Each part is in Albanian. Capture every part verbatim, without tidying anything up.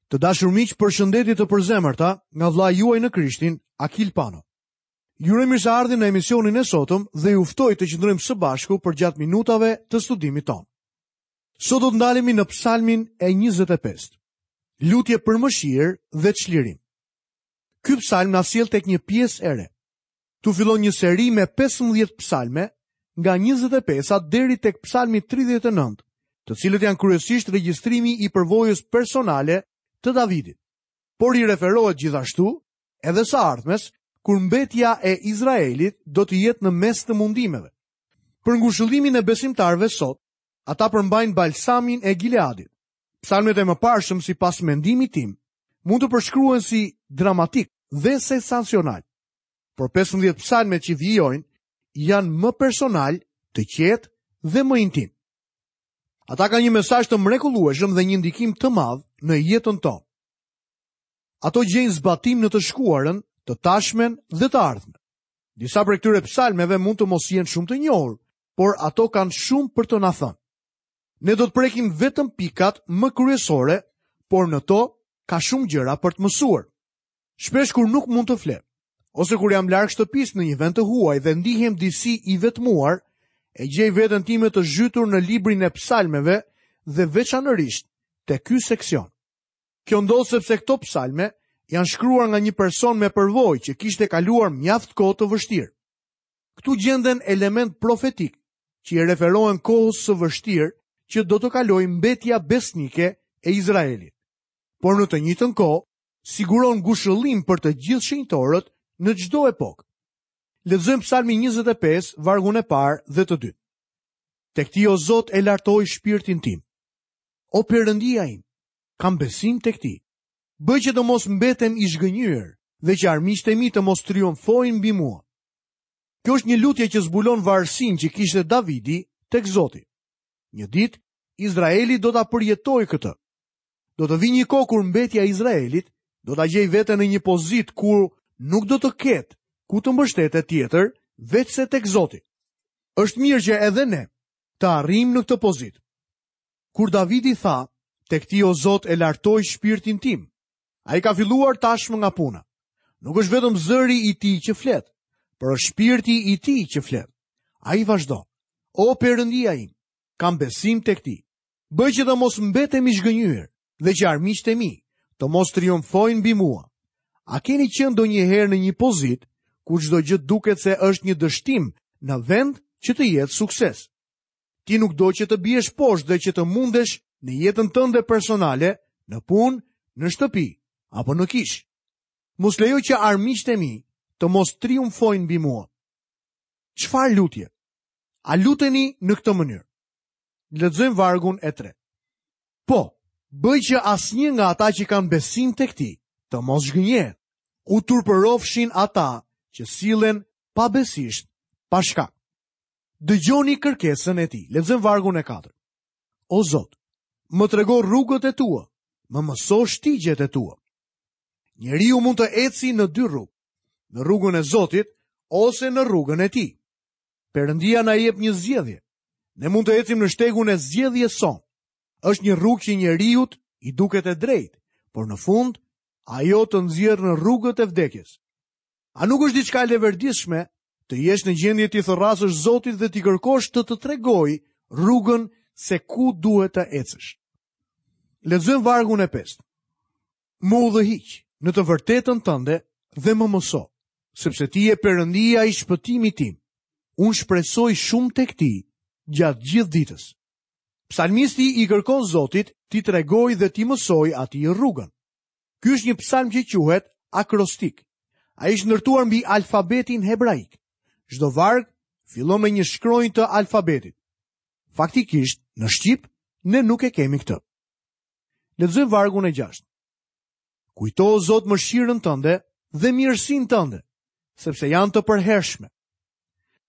Të dashur miq, përshëndetje të përzemërta nga vëllai juaj në Krishtin, Akil Pano. Ju uroj mirëseardhjen në emisionin e sotëm dhe ju ftoj të qëndrojmë së bashku përgjatë minutave të studimit tonë. Sot do të ndalemi në Psalmin e njëzet e pestë. Lutje për mëshirë dhe çlirim. Ky psalm na sjell tek një pjesë e re. Tu fillon një seri me pesëmbëdhjetë psalme, nga njëzet e pesa deri tek psalmi tridhjetë e nëntë, të cilët janë kryesisht regjistrimi i përvojës personale të Davidit. Por i referohet gjithashtu edhe së ardhmes, kur mbetja e Izraelit do të jetë në mes të mundimeve. Për ngushëllimin e besimtarëve sot, ata përmbajnë balsamin e Gileadit. Psalmet e mëparshëm, sipas mendimit tim, mund të përshkruhen si dramatik dhe sensacional. Por pesëmbëdhjetë psalmet që vijojnë janë më personal, të qetë dhe më intim. Ata kanë një mesazh të mrekullueshëm dhe një ndikim të madh në jetën tonë. Ato gjejnë zbatim në të shkuarën, të tashmen dhe të ardhmen. Disa prej këtyre psalmeve mund të mos jenë shumë të njohur, por ato kanë shumë për të na thënë. Ne do të prekim vetëm pikat më kryesore, por në to ka shumë gjëra për të mësuar. Shpesh kur nuk mund të fle, ose kur jam larg shtëpisë në një vend të huaj dhe ndihem disi i vetmuar, e gjej veten time të zhytur në librin e psalmeve dhe veçanërisht te ky seksion. Kjo ndodh sepse këto psalme janë shkruar nga një person me përvojë që kishte kaluar mjaft kohë të vështirë. Këtu gjenden element profetik që i referohen kohës së vështirë që do të kalojë mbetja besnike e Izraelit. Por në të njëjtën kohë, siguron ngushëllim për të gjithë shenjtorët në çdo epokë. Lexojmë Psalmin njëzet e pesë, vargun e parë dhe të dytë. Tek ti, o Zot, e lartoj shpirtin tim. O Perëndia im, kam besim tek ti. Bëj që të mos mbetem i zhgënjyer dhe që armiqtë e mi të mos triumfojnë mbi mua. Kjo është një lutje që zbulon varësinë që kishte Davidi tek Zoti. Një ditë, Izraeli do ta përjetojë këtë. Do të vijë një kohë kur mbetja e Izraelit do ta gjejë veten në një pozitë ku nuk do të ketë ku të mbështetet tjetër veçse tek Zoti. Është mirë që edhe ne të arrijmë në këtë pozitë. Kur Davidi tha, tek ti o Zot e lartoj shpirtin tim, ai ka filluar tashmë nga puna. Nuk është vetëm zëri i tij që flet, por është shpirti i tij që flet. Ai vazhdon, o Perëndia im, kam besim tek ti. Bëj që të mos mbetem i zhgënjyer dhe që armiqtë e mi të mos triumfojnë mbi mua. A keni qenë ndonjëherë në një pozitë ku çdo gjë duket se është një dështim në vend që të jetë sukses? Ti nuk do që të biesh poshtë dhe që të mundesh në jetën tënde personale, në punë, në shtëpi apo në kishë. Mos lejo që armiqtë e mi të mos triumfojnë mbi mua. Çfarë lutje? A luteni në këtë mënyrë? Lexojmë vargun e tretë. Po, bëj që asnjë nga ata që kanë besim tek ti të mos zhgënjehet. U turpërofshin ata që sillen pabesisht, pa shkak. Dëgjoni kërkesën e tij. Lexojmë vargun e katërt. O Zot, më trego rrugët e tua, më mëso shtigjet e tua. Njeriu mund të eci në dy rrugë, në rrugën e Zotit ose në rrugën e tij. Perëndia na jep një zgjedhje. Ne mund të ecim në shtegun e zgjedhjes sonë. Është një rrugë që njeriut i duket e drejtë, por në fund ajo të nxjerr në rrugët e vdekjes. A nuk është diçka e leverdishme të jesh në gjendje t'i thërrasësh Zotit dhe t'i kërkosh të të tregojë rrugën se ku duhet të ecësh? Lexojmë vargun e pestë. Më udhëhiq në të vërtetën tënde dhe më mëso, sepse ti je Perëndia i shpëtimit tim. Unë shpresoj shumë tek ti gjatë gjithë ditës. Psalmisti i kërkon Zotit t'i tregojë dhe t'i mësojë atij rrugën. Ky është një psalm që quhet akrostik. Ai është ndërtuar mbi alfabetin hebraik. Çdo varg fillon me një shkronjë të alfabetit. Faktikisht, në shqip, ne nuk e kemi këtë. Lexojmë vargun e gjashtë. Kujto, o Zot, mëshirën tënde dhe mirësinë tënde, sepse janë të përhershme.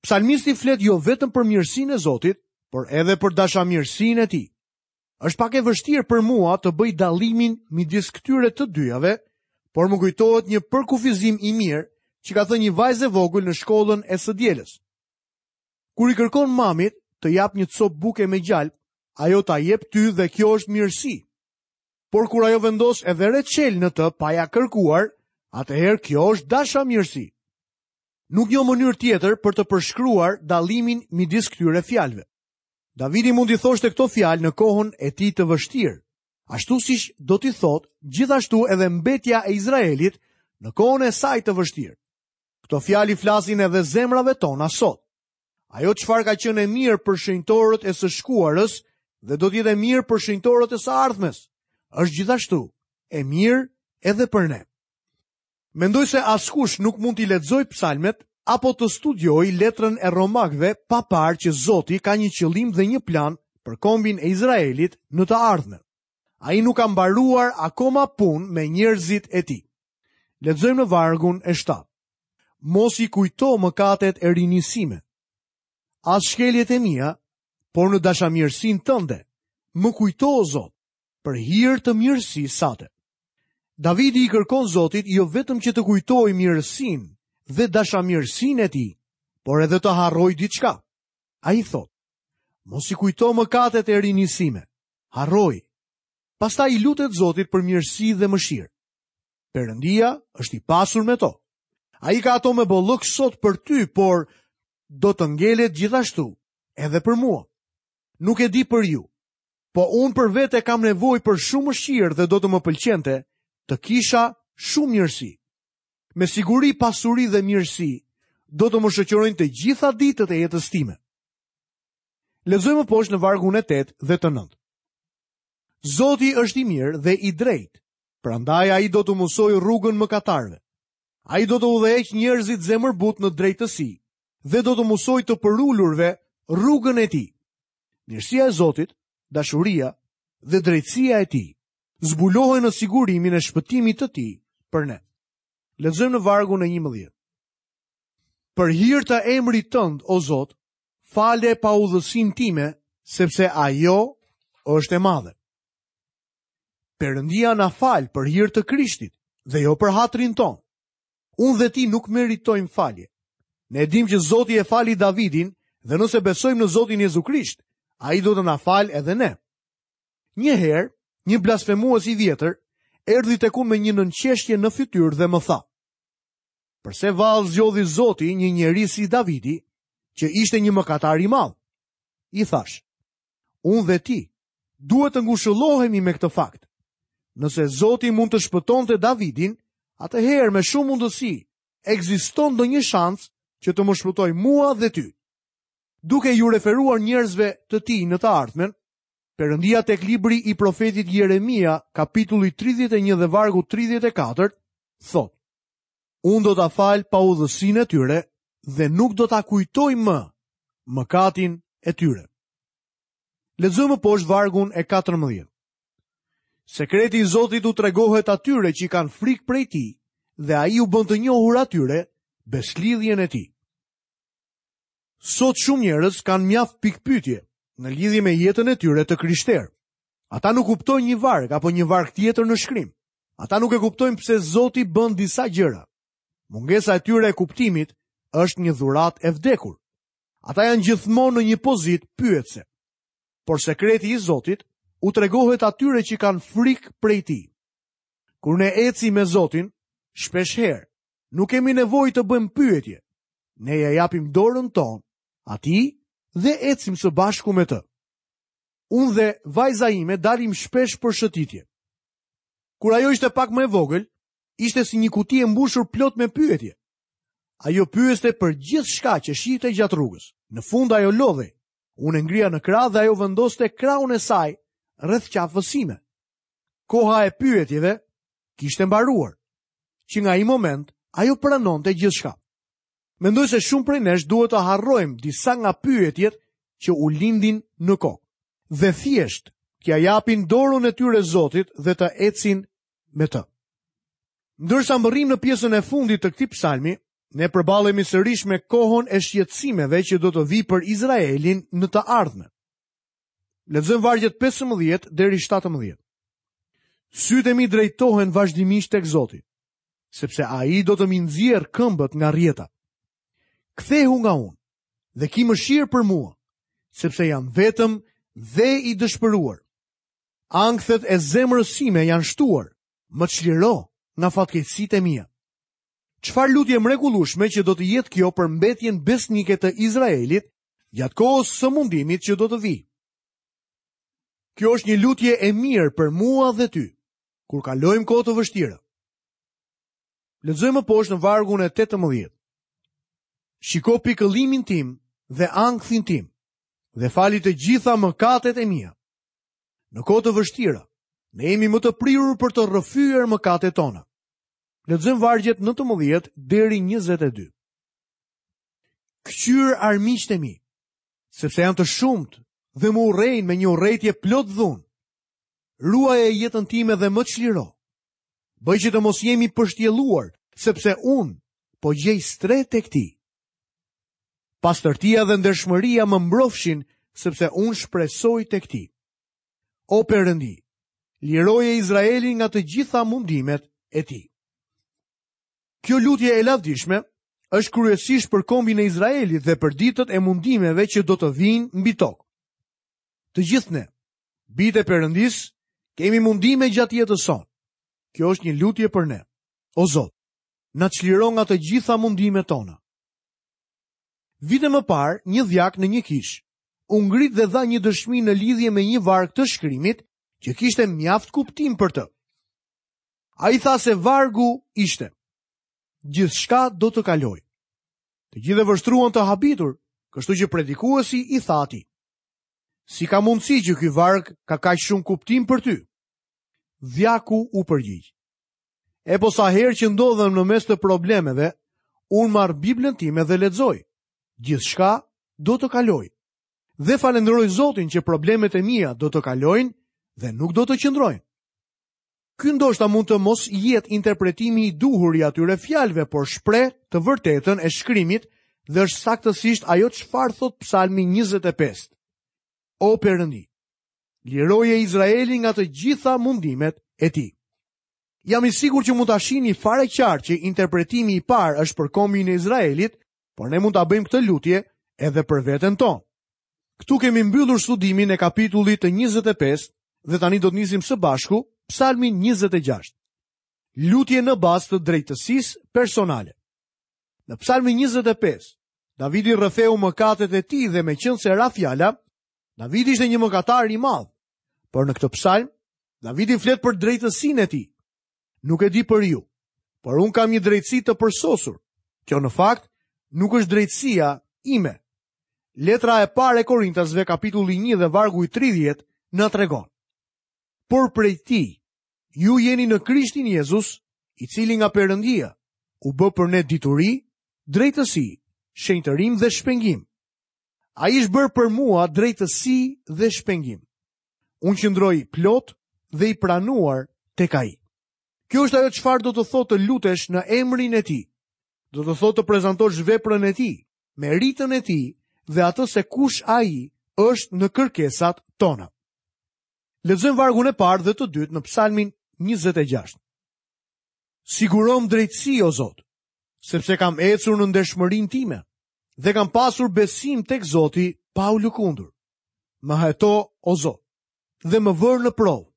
Psalmisti flet jo vetëm për mirësinë e Zotit, por edhe për dashamirësinë e tij. Është pak e vështirë për mua të bëj dallimin midis këtyre të dyjave, por më kujtohet një përkufizim i mirë që ka thënë një vajzë e vogël në shkollën e së dielës. Kur i kërkon mamit të jap një copë buke me gjalp, ajo ta jep ty dhe kjo është mirësi. Por kur ajo vendos edhe reçel në të pa ja kërkuar, atëherë kjo është dashamirësi. Nuk njoh mënyrë tjetër për të përshkruar dallimin midis këtyre fjalëve. Davidi mund t'i thoshte këto fjalë në kohën e tij të vështirë, ashtu siç do t'i thotë gjithashtu edhe mbetja e Izraelit në kohën e saj të vështirë. Këto fjalë i flasin edhe zemrave tona sot. Ajo çfarë ka qenë e mirë për shenjtorët e së shkuarës dhe do të jetë e mirë për shenjtorët e së ardhmes, është gjithashtu e mirë edhe për ne. Mendoj se askush nuk mund t'i lexojë psalmet apo të studiojë letrën e Romakëve pa parë që Zoti ka një qëllim dhe një plan për kombin e Izraelit në të ardhmen. Ai nuk ka mbaruar akoma punë me njerëzit e tij. Lexojmë në vargun e shtatë. Mos i kujto mëkatet e rinisë sime, as shkeljet e mia, por në dashamirësinë tënde, më kujto o Zot, për hir të mirësisë sate. Davidi i kërkon Zotit jo vetëm që të kujtojë mirësinë dhe dashamirësinë e tij, por edhe të harrojë diçka. Ai thotë: Mos i kujto mëkatet e rinisë sime, harroj. Pastaj i lutet Zotit për mirësi dhe mëshirë. Perëndia është i pasur me to. Ai ka ato me bollëk sot për ty, por do të ngelet gjithashtu edhe për mua. Nuk e di për ju, po unë për vete kam nevojë për shumë mëshirë dhe do të më pëlqente të kisha shumë mirësi. Me siguri pasuri dhe mirësi do të më shoqërojnë të gjitha ditët e jetës time. Lexojmë poshtë në vargun e tetë dhe të nëntë. Zoti është i mirë dhe i drejtë, prandaj ai do të mësojë rrugën mëkatarëve. Ai do të udhëheqë njerëzit zemërbut në drejtësi dhe do të mësojë të përulurve rrugën e tij. Mirësia e Zotit, dashuria dhe drejtësia e tij zbulohen në sigurimin e shpëtimit të tij për ne. Lexojmë në vargun e njëmbëdhjetë. Për hir të emrit tënd, o Zot, fale paudhësinë time, sepse ajo është e madhe. Perëndia na fal për hir të Krishtit dhe jo për hatrin tonë. Unë dhe ti nuk meritojmë falje. Ne e dim që Zoti e fali Davidin dhe nëse besojmë në Zotin Jezu Krisht, ai do të na fal edhe ne. Një herë, një blasfemues i vjetër erdhi tek unë me një nënqeshtje në fytyrë dhe më tha: Përse vallë zgjodhi Zoti një njeri si Davidi, që ishte një mëkatar i madh? I thash: Unë dhe ti duhet të ngushëllohemi me këtë fakt. Nëse Zoti mund të shpëtonte Davidin, atëherë me shumë mundësi ekziston ndonjë shans që të më shpëtojë mua dhe ty. Duke ju referuar njerëzve të tij në të ardhmen, Perëndia tek libri i profetit Jeremia, kapitulli tridhjetë e një dhe vargu tridhjetë e katër, thotë: Unë do ta fal paudhësinë e tyre dhe nuk do ta kujtoj më mëkatin e tyre. Lexojmë poshtë vargun e katërmbëdhjetë. Sekreti i Zotit u tregohet atyre që i kanë frikë prej tij dhe ai u bën të njohur atyre beslidhjen e tij. Sot shumë njerëz kanë mjaft pikpyetje në lidhje me jetën e tyre të krishterë. Ata nuk kuptojnë një varg apo një varg tjetër në shkrim. Ata nuk e kuptojnë pse Zoti bën disa gjëra. Mungesa e tyre e kuptimit është një dhuratë e vdekur. Ata janë gjithmonë në një pozitë pyetëse. Por sekreti i Zotit u tregohet atyre që kanë frikë prej tij. Kur ne ecim me Zotin, shpesh herë nuk kemi nevojë të bëjmë pyetje. Ne ja japim dorën tonë atij dhe ecim së bashku me të. Unë dhe vajza ime dalim shpesh për shëtitje. Kur ajo ishte pak më e vogël, ishte si një kuti e mbushur plot me pyetje. Ajo pyeste për gjithçka që shihte gjatë rrugës. Në fund ajo lodhej. Unë e ngrija në krah dhe ajo vendoste krahun e saj rreth qafës sime. Koha e pyetjeve kishte mbaruar. Që nga ai moment, ajo pranonte gjithçka. Mendoj se shumë prej nesh duhet të harrojmë disa nga pyetjet që u lindin në kokë dhe thjesht t'ia japin dorën e tyre Zotit dhe të ecin me të. Ndërsa mbërrim në pjesën e fundit të këtij psalmi, ne përballemi sërish me kohën e shqetësimeve që do të vijë për Izraelin në të ardhmen. Lexojmë vargjet pesëmbëdhjetë deri shtatëmbëdhjetë. Sytë e mi drejtohen vazhdimisht tek Zoti, sepse ai do të mi nxjerr këmbët nga rrjeta. Kthehu nga unë dhe ki mëshirë për mua, sepse jam vetëm dhe i dëshpëruar. Ankthet e zemrës sime janë shtuar, më çliro nga fatkeqësitë e mia. Çfarë lutje mrekullueshme që do të jetë kjo për mbetjen besnike të Izraelit gjatë kohës së mundimit që do të vijë. Kjo është një lutje e mirë për mua dhe ty, kur kalojmë kohë të vështira. Lexojmë më poshtë në vargun e tetëmbëdhjetë. Shiko pikëllimin tim dhe ankthin tim, dhe fali të gjitha mëkatet e mia. Në kohë të vështira, ne jemi më të prirur për të rrëfyer mëkatet tona. Lexojmë vargjet nëntëmbëdhjetë deri njëzet e dy. Kqyr armiqtë e mi, sepse janë të shumtë dhe më urrejnë me një urrejtje plot dhunë. Ruaje jetën time dhe më çliro. Bëj që të mos jemi pështjelluar, sepse unë po gjej strehë tek ti. Pastërtia dhe ndershmëria më mbrofshin, sepse unë shpresoj tek ti. O Perëndi, liroje Izraelin nga të gjitha mundimet e tij. Kjo lutje e lavdishme është kryesisht për kombin e Izraelit dhe për ditët e mundimeve që do të vijnë mbi tokë. Të gjithë ne, bijtë e Perëndis, kemi mundime gjatë jetës sonë. Kjo është një lutje për ne. O Zot, na çliro nga të gjitha mundimet tona. Vite më parë, një dhjak në një kishë u ngrit dhe dha një dëshmi në lidhje me një varg të shkrimit që kishte mjaft kuptim për të. Ai tha se vargu ishte: gjithçka do të kalojë. Të gjithë e vështruan të habitur, kështu që predikuesi i tha atij: si ka mundësi që ky varg ka kaq shumë kuptim për ty? Dhjaku u përgjigj: e po sa herë që ndodhem në mes të problemeve, unë marr Biblën time dhe lexoj. Gjithçka do të kalojë. Dhe falenderoj Zotin që problemet e mia do të kalojnë dhe nuk do të qëndrojnë. Ky ndoshta mund të mos jetë interpretimi i duhur i atyre fjalëve, por shpreh të vërtetën e shkrimit dhe është saktësisht ajo çfarë thot Psalmi njëzet e pesë. O Perëndi, liroje Izraelin nga të gjitha mundimet e tij. Jam i sigurt që mund ta shihni fare qartë që interpretimi i parë është për kombin e Izraelit, por ne mund ta bëjmë këtë lutje edhe për veten tonë. Këtu kemi mbyllur studimin e kapitullit të njëzet e pesë dhe tani do të nisim së bashku Psalmin njëzet e gjashtë. Lutje në bazë të drejtësisë personale. Në Psalmin njëzet e pesë, Davidi rrëfeu mëkatet e tij dhe meqense ra fjala, Davidi ishte një mëkatar i madh. Por në këtë psalm, Davidi flet për drejtësinë e tij. Nuk e di për ju, por unë kam një drejtësi të përsosur. Kjo në fakt nuk është drejtësia ime. Letra e parë e Korintasve, kapitulli një dhe vargu i tridhjetë, na tregon: por prej tij, ju jeni në Krishtin Jezus, i cili nga Perëndia u bë për ne dituri, drejtësi, shenjtërim dhe shpengim. Ai është bërë për mua drejtësi dhe shpengim. Unë qëndroj plot dhe i pranuar tek ai. Kjo është ajo çfarë do të thotë të lutesh në emrin e tij. Do të thotë të prezantosh veprën e tij, meritën e tij dhe atë se kush ai është në kërkesat tona. Lexojmë vargun e parë dhe të dytë në Psalmin njëzet e gjashtë. Sigurom drejtësi, o Zot, sepse kam ecur në ndershmërinë time dhe kam pasur besim tek Zoti pa u lëkundur. Më heto, o Zot, dhe më vër në provë.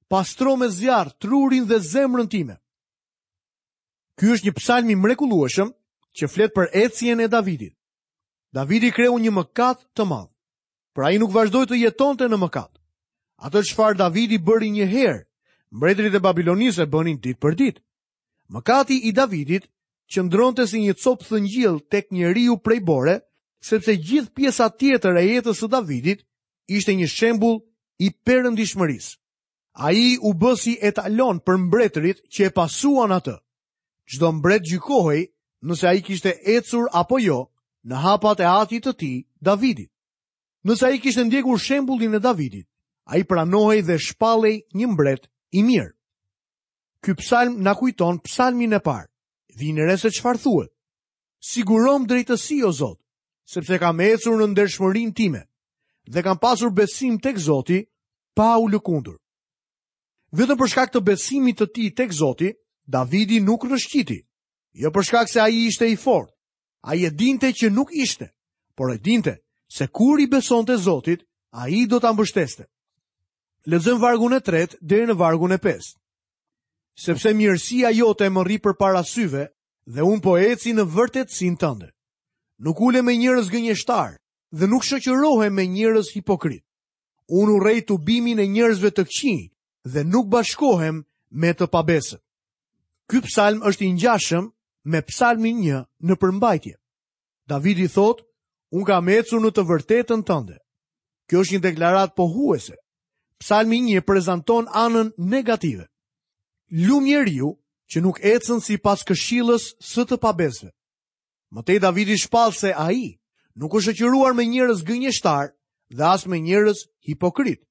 Pastro me zjarr trurin dhe zemrën time. Ky është një psalm i mrekullueshëm që flet për ecjen e Davidit. Davidi kreu një mëkat të madh, por ai nuk vazhdoi të jetonte në mëkat. Atë çfarë Davidi bëri një herë, mbretërit e Babilonisë e bënin ditë për ditë. Mëkati i Davidit qëndronte si një copë thëngjill tek njeriu prej bore, sepse gjithë pjesa tjetër e jetës së Davidit ishte një shembull i perëndishmërisë. Ai u bë si etalon për mbretërit që e pasuan atë. Çdo mbret gjykohej nëse ai kishte ecur apo jo në hapat e atit të tij, Davidit. Nëse ai kishte ndjekur shembullin e Davidit, ai pranohej dhe shpallej një mbret i mirë. Ky psalm na kujton psalmin e parë. Vini re se çfarë thuhet. Sigurom drejtësi, o Zot, sepse kam ecur në ndershmërinë time dhe kam pasur besim tek Zoti pa u lëkundur. Vetëm për shkak të besimit të tij tek Zoti, Davidi nuk rrëshqiti. Jo për shkak se ai ishte i fortë. Ai e dinte që nuk ishte, por e dinte se kur i besonte Zotit, ai do ta mbështeste. Lexojmë vargun e tretë deri në vargun e pestë. Sepse mirësia jote më rri përpara syve dhe unë po eci në vërtetësinë tënde. Nuk ulem me njerëz gënjeshtar dhe nuk shoqërohem me njerëz hipokrit. Unë urrej tubimin e njerëzve të këqij dhe nuk bashkohem me të pabesët. Ky psalm është i ngjashëm me psalmin një në përmbajtje. Davidi thotë, unë kam ecur në të vërtetën tënde. Kjo është një deklaratë pohuese. Psalmi një prezanton anën negative. Lum njeriu që nuk ecën sipas këshillës së të pabesëve. Më tej Davidi shpall se ai nuk është shoqëruar me njerëz gënjeshtar dhe as me njerëz hipokrit.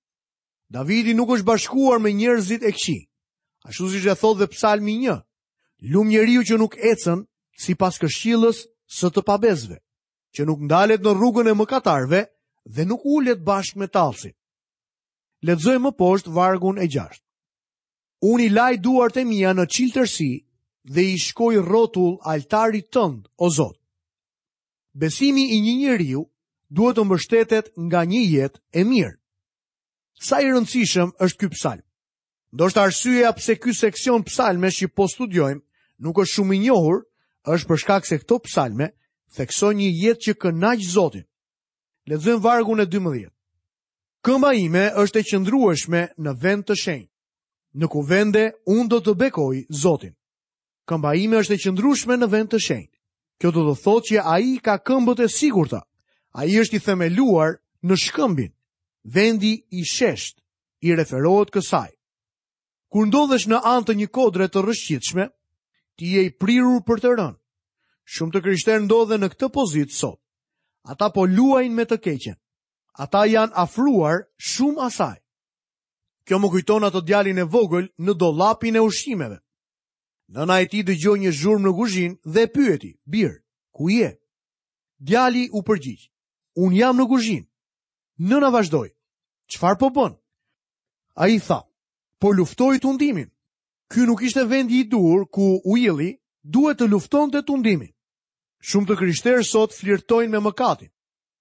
Davidi nuk është bashkuar me njerëzit e këqij. Ashtu siç e thotë dhe Psalmi një, lum njeriu që nuk ecën sipas këshillës së të pabesëve, që nuk ndalet në rrugën e mëkatarëve dhe nuk ulet bashkë me tallësit. Lexojmë më poshtë vargun e gjashtë. Unë i laj duart e mia në çiltërsi dhe i shkoj rrotull altarit tënd, o Zot. Besimi i një njeriu duhet të mbështetet nga një jetë e mirë. Sa i rëndësishëm është ky psalm? Ndoshta arsyeja pse ky seksion psalmesh që po studiojmë nuk është shumë i njohur, është për shkak se këto psalme theksojnë një jetë që kënaq Zotin. Lexojmë vargun e dymbëdhjetë. Këmba ime është e qëndrueshme në vend të shenjtë. Në kuvende unë do të bekoj Zotin. Këmba ime është e qëndrueshme në vend të shenjtë. Kjo do të thotë që ai ka këmbët e sigurta. Ai është i themeluar në shkëmbin. Vendi i shesht i referohet kësaj. Kur ndodhesh në anë të një kodre të rrëshqitshme, ti je i prirur për të rënë. Shumë të krishterë ndodhen në këtë pozitë sot. Ata po luajnë me të keqen. Ata janë afruar shumë asaj. Kjo më kujton atë djalin e vogël në dollapin e ushqimeve. Nëna e tij dëgjoi një zhurmë në kuzhinë dhe e pyeti, "Bir, ku je?" Djali u përgjigj, "Unë jam në kuzhinë." Nëna vazhdoi, "Çfarë po bën?" Ai tha, "Po luftoj tundimin." Ky nuk ishte vendi i duhur ku Uilli duhet të luftonte tundimin. Shumë të krishterë sot flirtojnë me mëkatin.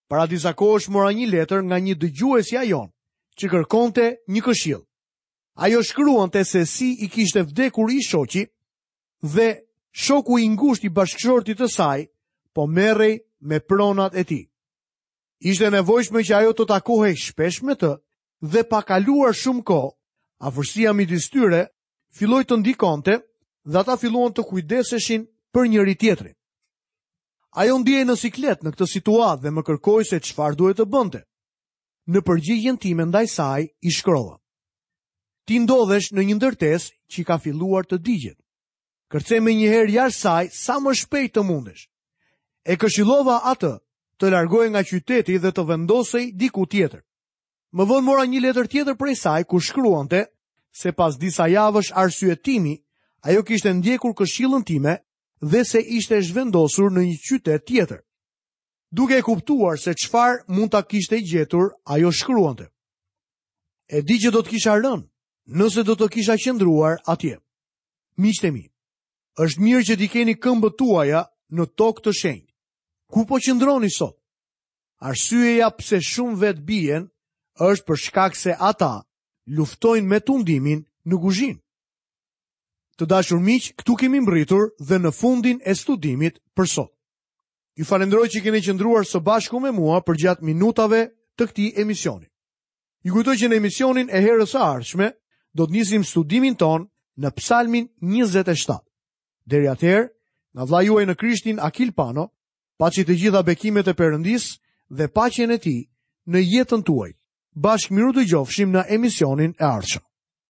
Para disa kohësh mora një letër nga një dëgjuesja jon, që kërkonte një këshill. Ajo shkruante se si i kishte vdekur i shoqi dhe shoku i ngushtë i bashkëshortit të saj po merrej me pronat e tij. Ishte nevojshme që ajo të takohej shpesh me të dhe pa kaluar shumë kohë, afërsia midis tyre filloi të ndikonte dhe ata filluan të kujdeseshin për njëri tjetrin. Ajo ndihej në siklet në këtë situatë dhe më kërkoi se çfarë duhet të bënte. Në përgjigjen time ndaj saj i shkrova: Ti ndodhesh në një ndërtesë që ka filluar të digjet. Kërce me njëherë jashtë saj sa më shpejt të mundesh. E këshillova atë të largohej nga qyteti dhe të vendosej diku tjetër. Më vonë mora një letër tjetër prej saj ku shkruante se pas disa javësh arsyetimi, ajo kishte ndjekur këshillën time dhe se ishte zhvendosur në një qytet tjetër. Duke e kuptuar se çfarë mund ta kishte gjetur, ajo shkruante: E di që do të kisha rënë, nëse do të kisha qëndruar atje. Miqtë e mi, është mirë që t'i keni këmbët tuaja në tokë të shenjtë. Ku po qëndroni sot? Arsyeja pse shumë vet bien është për shkak se ata luftojnë me tundimin në kuzhinë. Të dashur miq, këtu kemi mbërritur dhe në fundin e studimit për sot. Ju falenderoj që keni qëndruar së bashku me mua përgjatë minutave të këtij emisioni. Ju kujtoj që në emisionin e herës së ardhshme do të nisim studimin ton në Psalmin njëzet e shtatë. Deri atëherë, nga vëllai juaj në Krishtin Akil Pano, paçi të gjitha bekimet e Perëndisë dhe paqen e tij në jetën tuaj. Bashkë miru dëgjofshim në emisionin e ardhshëm.